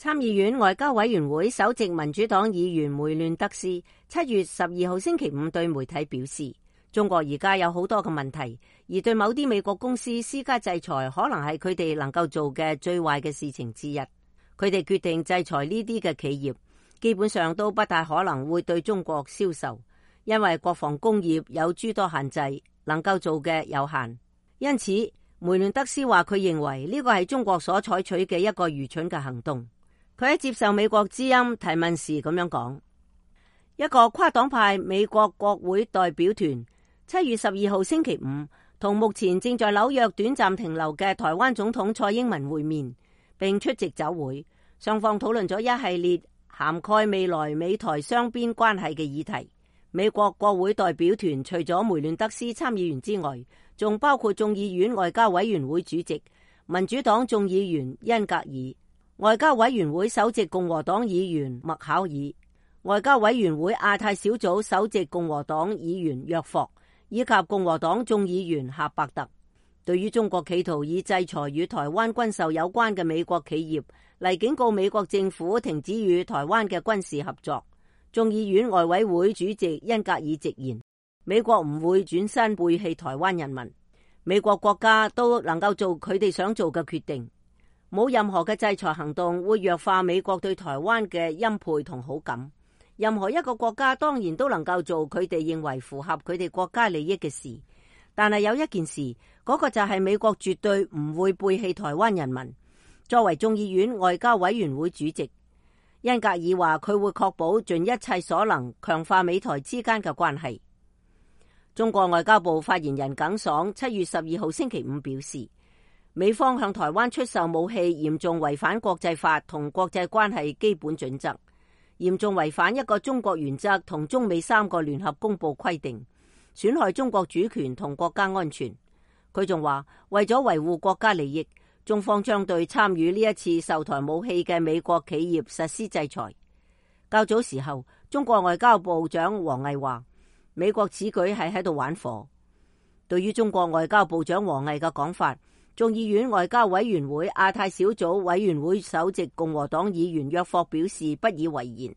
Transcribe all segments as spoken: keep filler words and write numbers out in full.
參議院外交委員會首席民主黨議員梅亂德斯七月十二號星期五對媒體表示，中國而家有好多嘅問題，而對某啲美國公司施加制裁可能係佢哋能夠做嘅最壞嘅事情之一。佢哋決定制裁呢啲嘅企業，基本上都不大可能會對中國銷售，因為國防工業有諸多限制，能夠做嘅有限。因此，梅亂德斯話佢認為呢個係中國所採取嘅一個愚蠢嘅行動。佢喺接受美國之音提問時咁樣講：一個跨黨派美國國會代表團七月十二號星期五同目前正在紐約短暫停留嘅台灣總統蔡英文會面，並出席酒會，雙方討論咗一系列涵蓋未來美台雙邊關係嘅議題。美國國會代表團除咗梅亂德斯參議員之外，仲包括眾議院外交委員會主席民主黨眾議員恩格爾、外交委員會首席共和黨議員麥考爾、外交委員會亞太小組首席共和黨議員約霍，以及共和黨眾議員夏伯特。對於中國企圖以制裁與台灣軍售有關嘅美國企業嚟警告美國政府停止與台灣嘅軍事合作，眾議院外委會主席恩格爾直言，美國唔會轉身背棄台灣人民，美國國家都能夠做佢哋想做嘅決定，冇任何嘅制裁行動會弱化美國對台灣嘅欽佩同好感。任何一個國家當然都能夠做佢哋認為符合佢哋國家利益嘅事，但係有一件事，嗰個就係美國絕對唔會背棄台灣人民。作為眾議院外交委員會主席，恩格爾話佢會確保盡一切所能強化美台之間嘅關係。中國外交部發言人耿爽七月十二號星期五表示，美方向台灣出售武器嚴重違反國際法同國際關係基本準則，嚴重違反一個中國原則同中美三個聯合公報規定，損害中國主權同國家安全。佢仲話，為咗維護國家利益，中方將對參與呢一次售台武器嘅美國企業實施制裁。較早時候，中國外交部長王毅話，美國此舉係喺度玩火。對於中國外交部長王毅嘅講法，眾議院外交委員會亞太小組委員會首席共和黨議員約霍表示不以為然。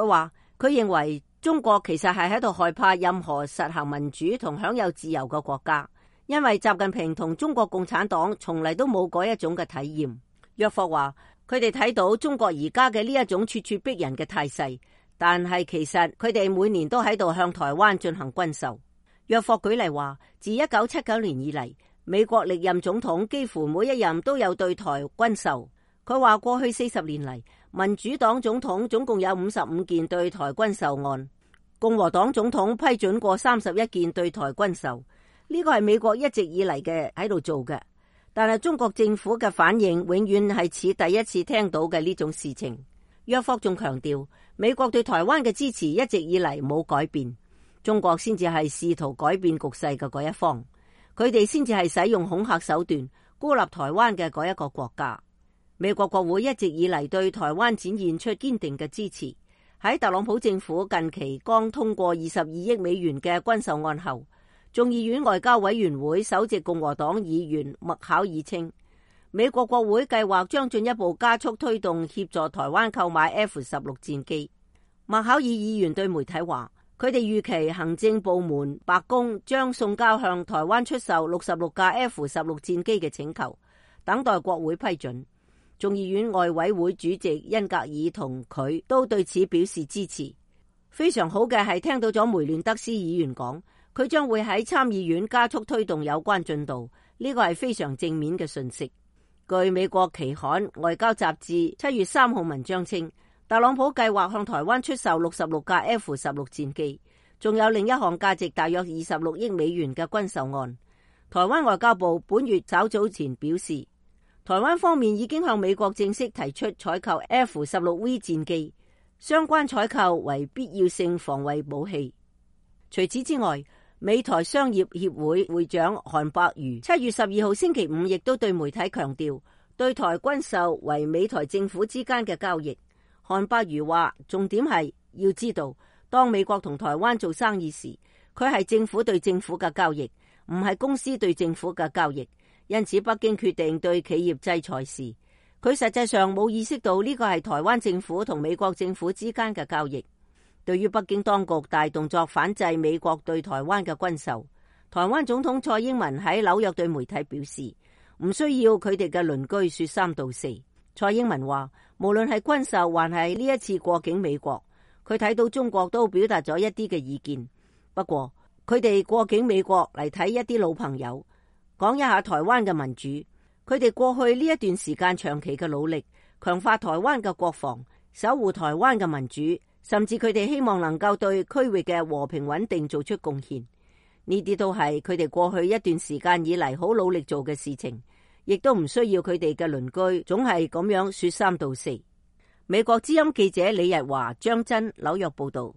佢話佢認為中國其實係喺度害怕任何實行民主同享有自由嘅國家，因為習近平同中國共產黨從嚟都冇嗰一種嘅體驗。約霍話佢哋睇到中國而家嘅呢一種咄咄逼人嘅態勢，但係其實佢哋每年都喺度向台灣進行軍售。約霍舉例話，自一九七九年以嚟，美國歷任總統幾乎每一任都有對台軍售。佢話過去四十年嚟，民主黨總統總共有五十五件對台軍售案，共和黨總統批准過三十一件對台軍售。呢個係美國一直以嚟嘅喺度做嘅，但係中國政府嘅反應永遠係似第一次聽到嘅呢種事情。約霍仲強調，美國對台灣嘅支持一直以嚟冇改變，中國先至係試圖改變局勢嘅嗰一方，佢哋先至係使用恐嚇手段孤立台灣嘅嗰一個國家。美國國會一直以嚟對台灣展現出堅定嘅支持。喺特朗普政府近期剛通過二十二億美元嘅軍售案後，眾議院外交委員會首席共和黨議員麥考爾稱，美國國會計劃將進一步加速推動協助台灣購買 F 十六 戰機。麥考爾議員對媒體話，佢哋預期行政部門白宮將送交向台灣出售六十六架 F 十六 戰機嘅請求，等待國會批准。眾議院外委會主席恩格爾同佢都對此表示支持。非常好嘅係聽到咗梅亂德斯議員講，佢將會喺參議院加速推動有關進度，呢個係非常正面嘅訊息。據美國期刊《外交雜誌》七月三號文章稱，特朗普計劃向台灣出售六十六架 F 十六 戰機，仲有另一項價值大約二十六億美元嘅軍售案。台灣外交部本月稍早前表示，台灣方面已經向美國正式提出採購 F 十六 V 戰機，相關採購為必要性防衛武器。除此之外，美台商業協會會長韓伯瑜七月十二號星期五亦都對媒體強調，對台軍售為美台政府之間嘅交易。韓伯瑜話，重點係要知道，當美國同台灣做生意時，佢係政府對政府嘅交易，唔係公司對政府嘅交易。因此，北京決定對企業制裁時，佢實際上冇意識到呢個係台灣政府同美國政府之間嘅交易。對於北京當局大動作反制美國對台灣嘅軍售，台灣總統蔡英文喺紐約對媒體表示，唔需要佢哋嘅鄰居說三道四。蔡英文話，無論係軍售還係呢一次過境美國，佢睇到中國都表達咗一啲嘅意見。不過佢哋過境美國嚟睇一啲老朋友，講一下台灣嘅民主。佢哋過去呢一段時間長期嘅努力，強化台灣嘅國防，守護台灣嘅民主，甚至佢哋希望能夠對區域嘅和平穩定做出貢獻。呢啲都係佢哋過去一段時間以嚟好努力做嘅事情，亦都唔需要佢哋嘅鄰居總係咁樣說三道四。美國之音記者李日華、張真紐約報道。